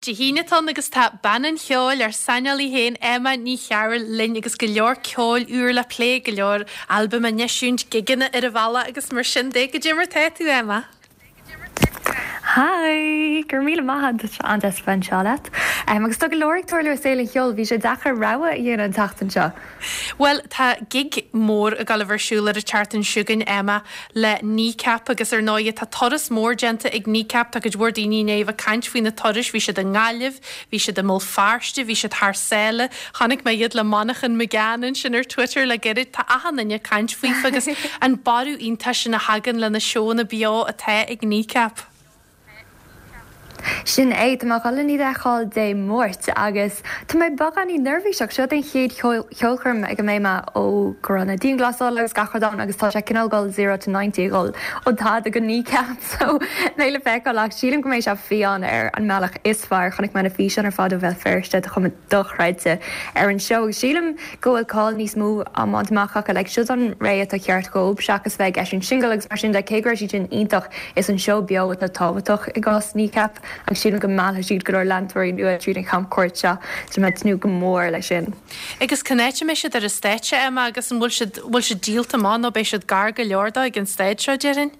Dé hAoine atá ann agus tá bean an cheoil, ár saineolaí féin, Emma Ní Chearúil linn agus go leor ceoil úr le plé, go leor albaim á n-eisiúint, gigeanna ar an bhealach agus mar sin de. Goidé mar tá tú, Emma? Hi! Go raibh míle maith agat, tá sé an-deas a bheith anseo leat. Agus tá go leor ag tarlú i saol an cheoil, bhí sé deacair rogha a dhéanamh an tseachtain seo. Bhuel, tá gig mór ag dul a bheith ar siúl ar an tseachtain seo chugainn, Emma, le Kneecap agus ar ndóighe tá turas mór déanta ag Kneecap, tá cuid mhór daoine i ndiaidh a bheith ag caint faoi na turais, bhí siad i nGaillimh, bhí siad i mBéal Feirste, bhí siad thar sáile, chonaic mé iad le Manchán Magan ansin ar Twitter le gairid, tá achan duine ag caint faofa agus an borradh iontach sin a thagann le na seónna beo atá ag Kneecap. Sin é, tá mé ag dul len iad a fheiceáil Dé Máirt agus tá mé beagáinín neirbhíseach. Seo an chéad cheolchoirm ag a mbeidh mé ó go raibh na dianghlasála agus gach rud ann agus tá sé cineál dul zero to ninety, ag dul ó tada go Kneecap so beidh le feiceáil ach sílim go mbeidh sé fiáin ar an mbealach is fearr. Chonaic mé na físeáin ar fad ó Bhéal Feirste, tá cuma dochreidte ar an seó agus sílim go bhfuil cáil níos mó á mbaint amach acu. Like seo an ré atá ceart dhóibh seachas bheith ag eisiúint singil agus mar sin de, cé go raibh siad sin iontach. Is an seó beo atá tábhachtach i gcás Kneecap agus sílim go meallfaidh siad go leor leantóirí nua tríd an chamchuairt seo. Tá mé ag tnúth go mór leis sin. Agus cén áit a mbeidh siad ar an stáitse, Emma, agus an bhfuil siad, bhfuil siad díolta amach nó beidh siad gar go leor dó ag an staid seo, déarfainn?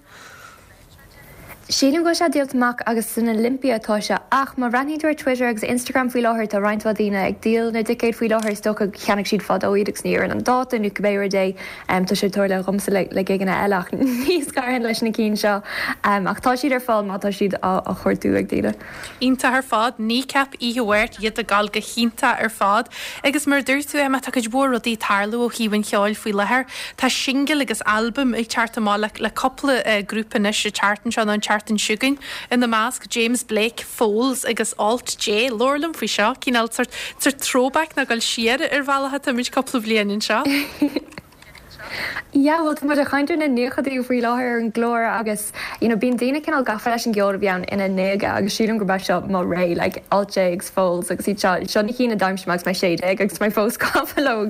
Sílim go bhfuil sé díolta amach agus san Olympia atá sé ach má bhreathnaíonn tú ar Twitter agus Instagram faoi láthair tá roinnt mhaith daoine ag díol na dticéad faoi láthair, is dócha cheannaigh siad fadó iad agus ní oireann an dáta nó cibé rud é. Tá sé ag tarlú dhomsa le gigeanna eile ach níos gaire leis na cinn seo. Ach tá siad ar fáil má tá siad á chuartú ag daoine. Iontach ar fad. Kneecap oíche Mháirt, iad ag gabháil go hiontach ar fad. Agus mar a dúirt tú, Emma, tá cuid mhór rudaí ag tarlú ó thaobh an cheoil faoi láthair. Tá singil agus albam ag teacht amach le le cúpla grúpa anois an tseachtain seo nó an tseachtain seo chugainn. Ina measc, James Blake, Foals agus Alt J. Labhair liom faoi seo, cineál sort sort throwback nó dul siar ar bhealach atáimid cúpla bliain anseo. Yeah, bhuel tá muid ag caint ar na naochadaí faoi láthair ar an gclár agus you know bíonn daoine cineál gafa leis an gceol a bhí ann ina ndéaga agus sílim gurb é seo mo ré, like Alt J agus Foals agus iad seo, seo na cinn a d'aimsigh mé agus mé 16 agus tá mé fós gafa leo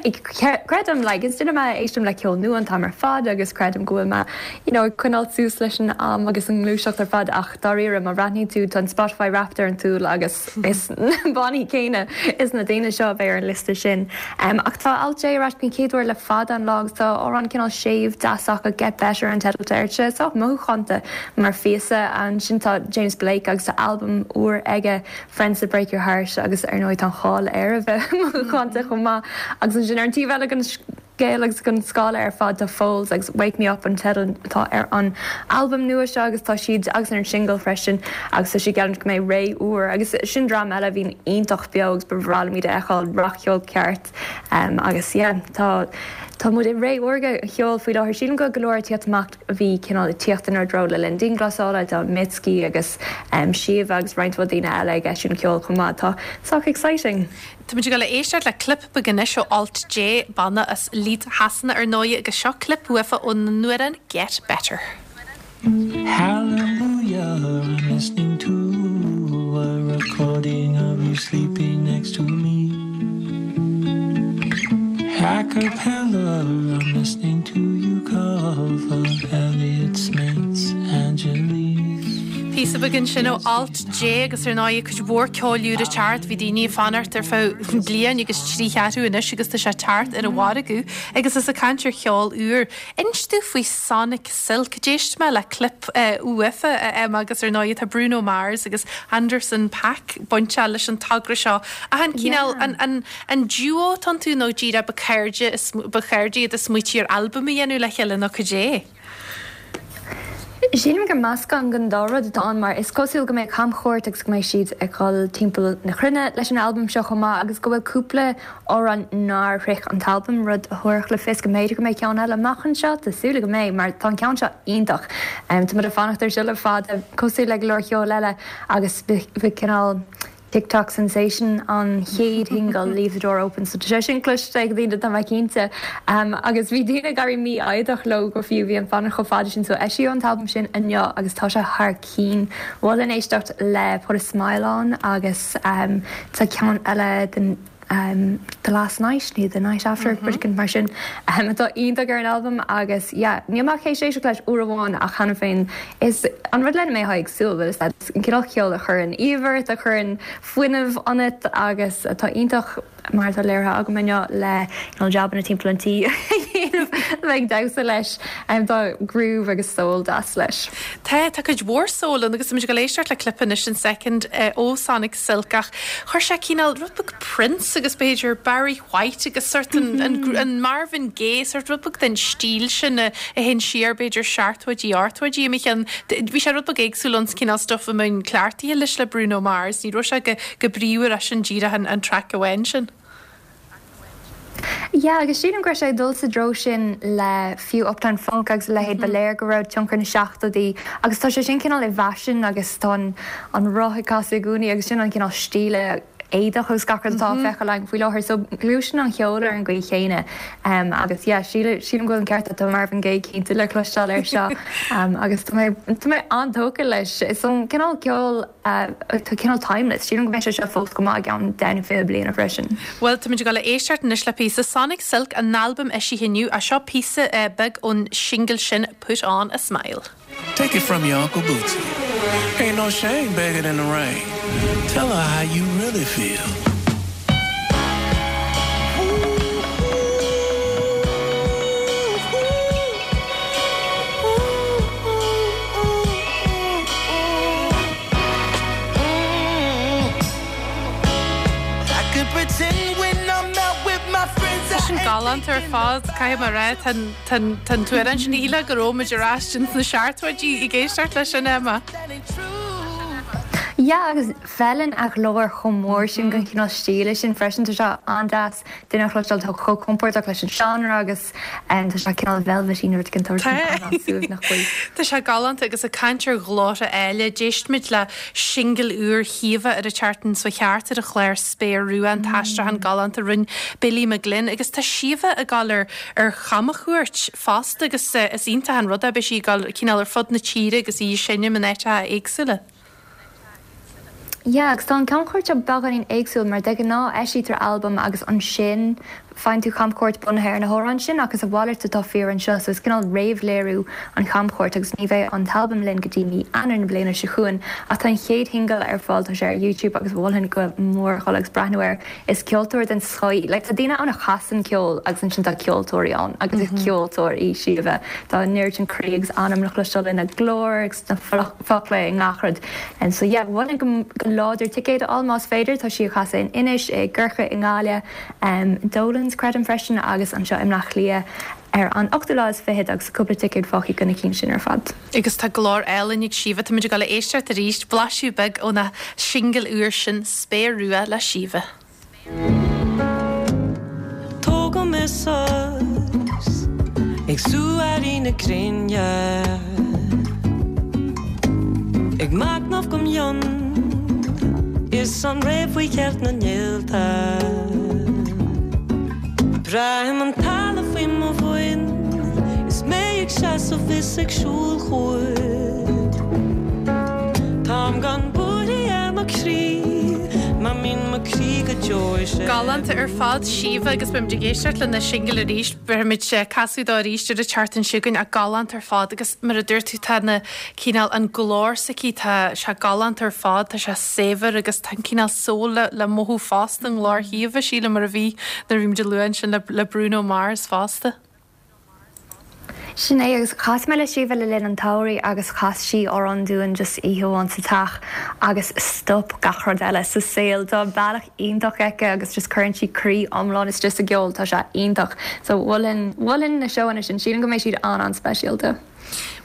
agus creidim like is duine mé a éisteann le ceol nua an t-am ar fad agus creidim go bhfuil mé you know ag coinneáil suas leis an am agus an ngluaiseacht ar fad ach dáiríre má bhreathnaíonn tú tá an Spotify Wrapped ar an tsúil agus is na bannaí céanna is na daoine seo a bheidh ar an liosta sin. Ach tá Alt J ar ais den chéad uair le fada an lá agus tá amhrán cineál séimh deas acu, Get Better an teideal atá air. Tá sé sách mothúchánta mar phíosa. Ansin tá James Blake agus tá albam úr aige, Friends That Break Your Heart agus ar ndóigh tá an cháil air a bheith mothúchánta chomh maith. Agus ansin ar an taobh eile den scéal agus den scála ar fad tá Foals agus Wake Me Up an teideal atá ar an albam nua seo agus tá siad agus ar an singil freisin agus tá siad ag geallúint go mbeidh ré úr agus sin dream eile a bhíonn iontach beo agus ba bhreá liom iad a fheiceáil, rac-cheol ceart agus yeah tá tá muid i ré órga an cheoil faoi láthair. Sílim go bhfuil go leor ag tíocht amach a bhí cineál ag tíocht inár dtreo le linn dianghlasála, tá Mitski agus Síomha agus roinnt mhaith daoine eile ag eisiúint ceoil chomh maith atá sách exciting. Táimid ag dul a éisteacht le clip beag anois ó Alt J, banna as Leeds Shasana ar ndóigh, agus seo clip uafa ón n-amhrán Get Better. Hallelujah, I'm listening to a recording of you sleeping next to me. A cappella, I'm listening to you cover Elliott Smith's Angeles. Píosa beag ansin ó Alt J agus ar ndóigh cuid mhór ceoil úr ag teacht. Bhí daoine ag fanacht ar feadh bliain agus trí cheathrú anois agus tá sé ag teacht ar an mhargadh agus is ag caint ar cheol úr. Inis domh faoi Sonic Silk. D'éist mé le clip uafa a Emma agus ar ndóigh tá Bruno Mars agus Anderson .Paak bainteach leis an togra seo. Ach an cineál, an, an, an duo atá iontu nó díreach ba cairde, ba chairde iad a smaoitigh ar albam a dhéanamh le chéile nó cad é? Sílim gur meascán den dá rud atá ann mar is cosúil go mbeidh camchuairt agus go mbeidh siad ag dul timpeall na cruinne leis an albam seo chomh maith agus go bhfuil cúpla amhrán nár shroich an t-albam, rud a thabharfadh le fios go mb'fhéidir go mbeidh ceann eile amach anseo. Tá súil agam go mbeidh mar tá an ceann seo iontach. Tá muid ag fanacht air seo le fada, cosúil le go leor ceoil eile agus bhí cineál. TikTok sensation an chéad shingil Leave the Door Open so tá sé sin cloiste ag daoine tá mé cinnte. Agus bhí daoine ag éirí mífhoighdeach leo go fiú, bhí an fanacht chomh fada sin so eisíodh an t-albam sin inniu agus tá sé thar cinn. Mholfainn éisteacht le Put a Smile On agus tá ceann eile den. The Last Night nó The Night After, rud éicint mar sin, atá iontach ar an albam agus yeah, níl mé ach théis éisteacht leis uair amháin ach cheana féin is an rud lena mbeifeá ag súil, bhfuil fhios agat, an cineál ceoil a chuireann aoibh ort, a chuireann fuinneamh ionat agus atá iontach. mar atá léirithe agam inniu le you know jabanna timpeall an tí a dhéanamh, a bheith ag damhsa leis. Tá groove agus soul deas leis. Tá, tá cuid mhór soul ann agus tá muid ag dul éisteacht le clip anois in soicind ó Sonic Silk ach chuir sé cineál rud beag Prince agus b'fhéidir Barry White agus sort an, an, an Marvin Gaye, sort rud beag den stíl sin a théann siar b'fhéidir seachtóidí, ochtóidí i mo cheann. Bhí sé rud beag éagsúil ón cineál stuff a mbeinn cleachtaithe leis le Bruno Mars, ní raibh sé go Go bríomhar é sin díreach an traic amháin sin. Yeah, agus sílim go raibh sé ag dul sa dtreo sin le fiú Uptown Funk agus a leithéid, ba léir go raibh tionchar na seachtóidí agus tá sé sin cineál i bhfaisean agus tá an roth ag casadh i gcónaí agus sin an cineál stíle éadach agus gach rud atá á feiceáil againn faoi láthair. So gluaiseann an cheol ar an gcaoi chéanna agus yeah, sílim go bhfuil an ceart agat, tá Marvin Gaye cinnte le cloisteáil air seo agus tá mé tá mé an-tógtha leis. Is an cineál ceoil Tá cineál timeless. Sílim go mbeidh sé seo fós go maith i gceann 10 nó 20 bliana freisin. Bhuel, táimid ag dul a éisteacht anois le píosa Sonic Silk, an albam eisithe inniu, ach seo píosa beag ón singil sin Put On A Smile. Take it from your Uncle Bootsy. Ain't no shame begging in the rain. Tell her how you really feel. Tá sin galánta ar fad, caithfidh mé a rá. Tá an t-amhrán sin, shílfeá go raibh muid ar ais ins na seachtóidí ag éisteacht leis sin, Emma. Yeah, agus feileann a ghlór chomh mór sin don chineál stíle sin freisin. Tá sé an-deas duine a chloisteáil atá chomh compordach leis an seánra agus tá sé cineál velvety nó rud éigin tá an-suaimhneach faoi. Tá sé galánta agus ag caint ar ghlórtha áille, d'éist muid le singil úr Shíomha ar an tseachtain seo thart ar an chlár Spéir Rua, an t-aistriúchán galánta a rinne Billy McGlynn agus tá Síomha ag dul ar ar chamchuairt fosta agus is iontach an rud é, beidh sí ag dul cineál ar fud na tíre agus í ag seinm in áiteacha éagsúla. Yeah, agus tá an camchuairt seo beagáinín éagsúil mar de ghnáth eisítear albam agus ansin faigheann tú camchuairt bunaithe ar na hamhráin sin ach is a mhalairt atá fíor anseo so is cineál réamhléiriú an chamchuairt agus ní bheidh an t-albam linn go dtí mí Eanáir na bliana seo chugainn ach tá an chéad shingil ar fáil tá sé ar YouTube agus mholfainn go mór dhul agus breathnú air. Is ceoltóir den scoth í. Like tá daoine ann a chasann ceol agus ansin tá ceoltóirí ann agus is ceoltóir í Síomha. Tá an oiread sin croí agus anam le cloisteáil ina glór agus sna focla i ngach rud. And so yeah, mholfainn go go láidir ticéad a fháil más féidir. Tá sí ag casadh in Inis, i gCorcaigh, i nGaillimh, Dolan's creidim freisin agus anseo i mBleá Cliath ar an ochtú lá is fichead agus tá cúpla ticéad fágtha do na cinn sin ar fad. Agus tá glór álainn ag Síomha. Táimid ag dul a éisteacht arís, blaiseadh beag óna singil úr sin, Spéir Rua le Síomha. Tógadh mé suas ag sú éirí na gréine Ag machnamh go mion is an ré faoi cheilt na néalta Braithim an talamh faoi mo bhoinn is mé ag seasamh is ag siúl chugat. Táim gan buarthaí ar mo chroí mar mbíonn mo chroí go deo is é. Galánta ar fad, Síomha, agus beimid ag éisteacht lena singil arís. Bhéarfaimid casadh dó arís ar an tseachtain seo chugainn ach galánta ar fad agus mar a dúirt tú tá na cineál an glór s'aici tá sé galánta ar fad, tá sé saibhir agus tá an cineál soul le le mothú fosta i nglór Shíomha, sílim, mar a bhí nuair a bhí muid ag lua ansin le le Bruno Mars fosta. Sin é, agus chas mé le Síomha le linn an tsamhraidh agus chas sí amhrán dúinn just oíche amháin sa teach agus stop gach rud eile sa saol. Tá bealach iontach aici agus just cuireann sí croí iomlán istigh sa gceol, tá sé iontach. So mholfainn, mholfainn na seóanna sin, sílim go mbeidh siad an-an-speisialta.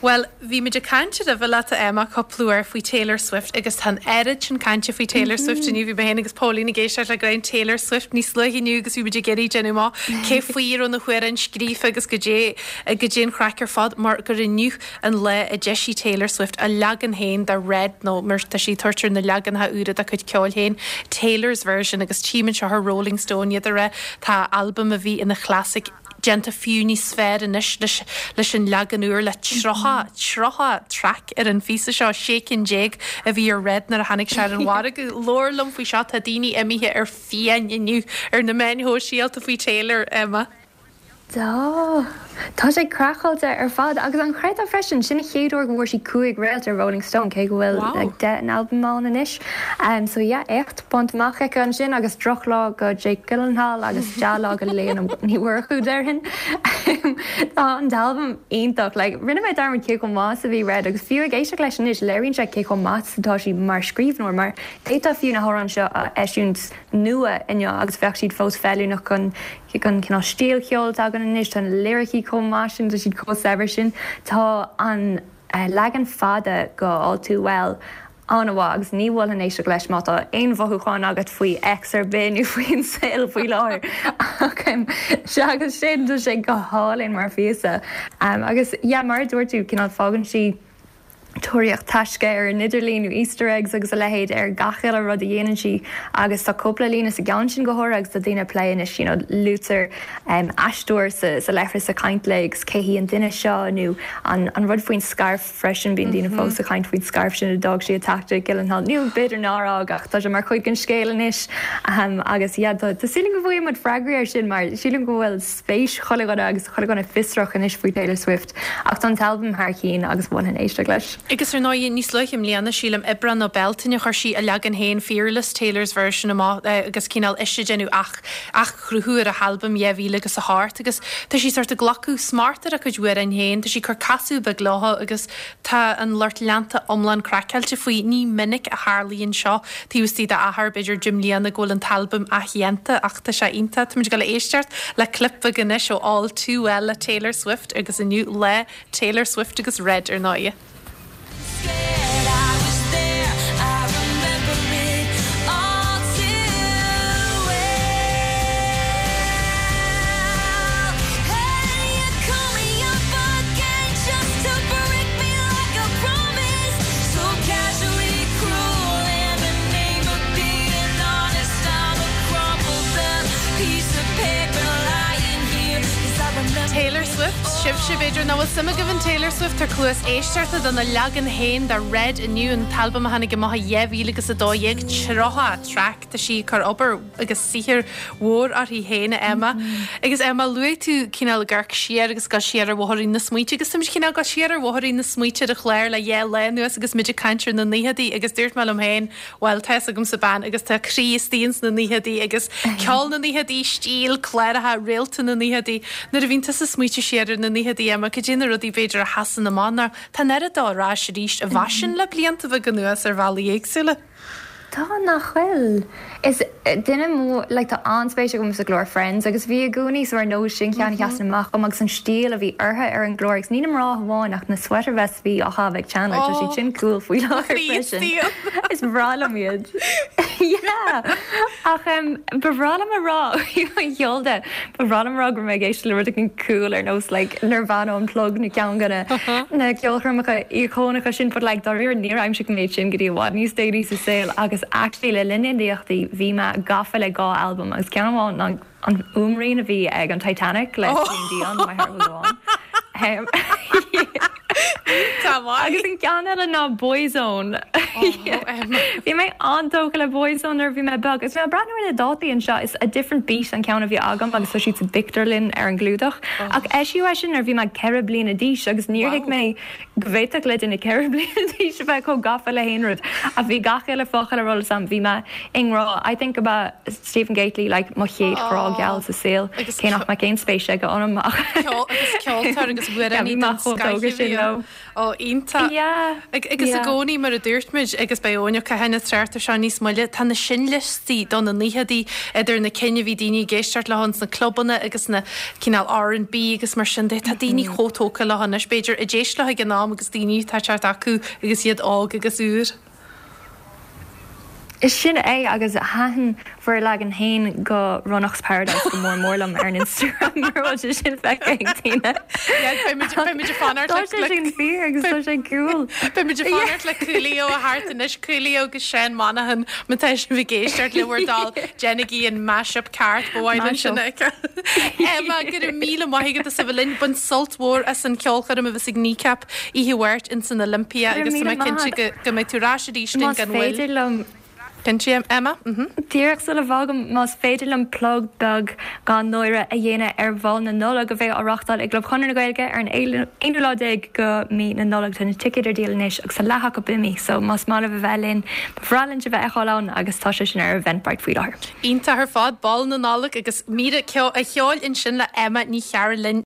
Bhuel, bhí muid ag caint roimhe leat, a Emma, cúpla uair faoi Taylor Swift agus tá an oiread sin cainte faoi Taylor Swift inniu. Bhí mé féin agus Póilín ag éisteacht le greim Taylor Swift níos luaithe inniu agus bhí muid ag iarraidh déanamh amach cé faoi a raibh na hamhráin scríofa agus goidé, goidé an chraic ar fad mar gur inniu an lá a d'eisigh Taylor Swift a leagan féin de Red nó mar tá sí ag tabhairt ar na leaganacha úra dá cuid ceoil féin, Taylor's Version agus tchím anseo ar Rolling Stone iad ag rá tá albam a bhí ina chlasaic. déanta fiú níos fearr anois leis leis an leagan úr le 30, 30 traic ar an phíosa seo, 16 cinn a bhí ar Red nuair a tháinig sé ar an mhargadh. Labhair liom faoi seo, tá daoine imithe ar fiáin inniu ar na meáin shóisialta faoi Taylor, Emma. Tá. Tá sé craiceáilte ar fad agus an gcreidfeá freisin, sin an chéad uair go bhfuair sí 5 réalt ar Rolling Stone cé go bhfuil like 10 n-albam ann anois. So yeah, éacht bainte amach aici ansin agus drochlá go Jake Gyllenhaal agus dea-lá go Léana Ní Mhurchú déarfainn. Tá an t-albam iontach. Like rinne mé dearmad cé chomh maith is a bhí Red agus fiú ag éisteacht leis anois léiríonn sé cé chomh maith is atá sí mar scríbhneoir mar d'fhéadfá fiú na hamhráin seo a eisiúint nua inniu agus bheadh siad fós feiliúnach don don chineál stíl cheoil atá againn anois. Tá na liricí chomh maith sin, tá siad chomh saibhir sin. Tá an leagan fada go All Too Well an-mhaith agus ní mholfainn éisteacht leis má tá aon mhothúchán agat faoi ex ar bith nó faoin saol faoi láthair. Ach seachas sin, tá sé go hálainn mar phíosa. Agus yeah, mar a dúirt tú, cineál fágann sí tóraíocht taisce ar an idirlíon nó Easter eggs agus a leithéid ar gach uile rud a dhéanann sí agus tá cúpla líne sa gceann sin go háirithe agus tá daoine ag plé anois you know luaitear aisteoir sa sa leithreas ag caint léi agus cé hí an duine seo nó an an rud faoin scairf freisin bíonn daoine fós ag caint faoin scairf sin a d'fhág sí i dteach Jake Gyllenhaal nó b'fhéidir nár fhág ach tá sé mar chuid den scéal anois agus yeah tá tá súil agam go bhfaighidh muid freagraí air sin mar sílim go bhfuil spéis chuile dhuine agus chuile dhuine fiosrach anois faoi Taylor Swift ach tá an t-albam thar cinn agus mholfainn éisteacht leis. Agus ar ndóigh, níos luaithe i mbliana, sílim, Aibreán nó Bealtaine, chuir sí a leagan féin, Fearless, Taylor's Version amach agus cineál ise ag déanamh athchruthú ar a halbam 2000 agus a hocht agus tá sí sort ag glacadh smacht ar a cuid amhráin féin, tá sí ag cur casadh beag leo agus Tá an lucht leanta iomlán craiceáilte faoi. Ní minic a tharlaíonn seo taobh istigh d'achar b'fhéidir 10 mbliana go bhfuil an t-albam athdhéanta ach tá sé iontach. Táimid ag dul a éisteacht le clip beag anois ó All Too Well le Taylor Swift agus inniu lá Taylor Swift agus Red ar ndóigh. Taylor Swift, sibhse b'fhéidir nach bhfuil suim agaibh in Taylor Swift tabhair cluas éisteachta dona leagan féin de Red inniu, an t-albam a tháinig amach i 2012, 30 traic, tá sí ag cur obair agus saothar mhór uirthi féin, a Emma. Agus Emma, luaigh tú cineál ag amharc siar agus dul siar ar bhóithrín na smaointe agus táimid cineál ag dul siar ar bhóithrín na smaointe ar an chlár le dhá lá anuas agus muid ag caint ar na naochadaí agus dúirt mé liom féin, bhuel, tá fhios agamsa bean agus tá a croí istigh ins na naochadaí agus ceol na naochadaí, stíl, cláracha, réalta na naochadaí. Nuair a bhíonn tusa ag smaoitiú siar ar na naochadaí, Emma, cad é na rudaí b'fhéidir a sheasann amach nó tá an oiread dó ar ais arís i bhfaisean le blianta beaga anuas ar bhealaí éagsúla. Tá, nach bhfuil? Is duine mór, like tá an-spéis agam sa gclár Friends agus bhí i gcónaí so ar ndóigh sin ceann a sheasann amach dom agus an stíl a bhí orthu ar an gclár agus ní na mná amháin ach na sweater vests a bhí á chaitheamh ag Chandler, tá siad sin cool faoi láthair freisin. Is breá liom iad. Yeah! Ach em ba bhreá liom a rá, an cheol de, ba bhreá liom a rá go raibh mé ag éisteacht le rud éigin cool ar nós like Nirvana Unplugged nó ceann de na na ceolchoirmeacha íocónacha sin but like dáiríre níor aimsigh mé iad sin go dtí i bhfad níos déanaí sa saol agus actually le linn na naochadaí bhí mé gafa le dhá albam agus ceann amháin ná an fhuaimrian a bhí ag an Titanic le Celine Dion, My Heart Will Go On. Tá maith. Agus an ceann eile ná Boyzone. Bhí mé an-tógtha le Boyzone nuair a bhí mé beag. Agus mé ag breathnú ar na dátaí anseo, is A Different Beat an ceann a bhí agam agus tá siad sa bpictiúrlann ar an gclúdach. Ach eisíodh é sin nuair a bhí mé 4 bliana d'aois agus níor thuig mé go bhféadfadh le duine 4 bliana d'aois a bheith chomh gafa le haon rud. Ach bhí gach uile focal ar eolas agam. Bhí mé i ngrá. I think go mba Stephen Gately like mo chéad ghrá geal sa saol. Cé nach mbeadh aon spéis aige ionam ach. Agus ceoltóir agus amhránaí den scoth a bhí ann. Ó, iontach. Yeah. Agus i gcónaí, mar a dúirt muid, agus beidh Eoin Ó Catháin ag trácht air seo níos moille, tá na seinnliostaí do na naochadaí, idir na cinn a bhí daoine ag éisteacht leo ins na clubanna agus na cineál R&B agus mar sin de, tá daoine chomh tógtha leo anois, b'fhéidir, a d'éist leo ag an am agus daoine atá ag teacht acu agus iad óg agus úr. Sin é agus thaitin bhur leagan féin de Ronach's Paradise go mór mór liom ar an Instagram mura bhfuil sé sin feicthe ag daoine. Yeah, beimid beimid ag fanacht Tá sé sin fíor agus tá sé cool. Beimid ag fanacht le Coolio a theacht anois, Coolio agus Seán Monaghan má tá sibh ag éisteacht le bhur dtoil déanaigí an mashup ceart ba mhaith linn sin a fheiceáil. Emma, go raibh míle maith agat as a bheith linn. Bain sult mhór as an cheolchoirm a bheas ag Kneecap oíche Mháirt ins an Olympia Go raibh agus tá míle mé maith cinnte agat. go go mbeidh tú ar ais arís linn Más gan mhoill. féidir liom. Cinnte, Emma? Mhm. Díreach sula bhfágaim, más féidir liom plug beag gan náire a dhéanamh ar Bhál na Nollag a bheidh á reáchtáil ag gClub Chonradh na Gaeilge ar an aonú lá déag go mí na Nollag. Tá na ticéid ar díol anois agus tá leath acu imithe so más maith libh a bheith linn, ba bhreá linn sibh a fheiceáil ann agus tá sé sin ar Eventbrite faoi láthair. Iontach ar fad, Bál na Nollag agus mír ceoil ansin le Emma Ní Chearúil linn.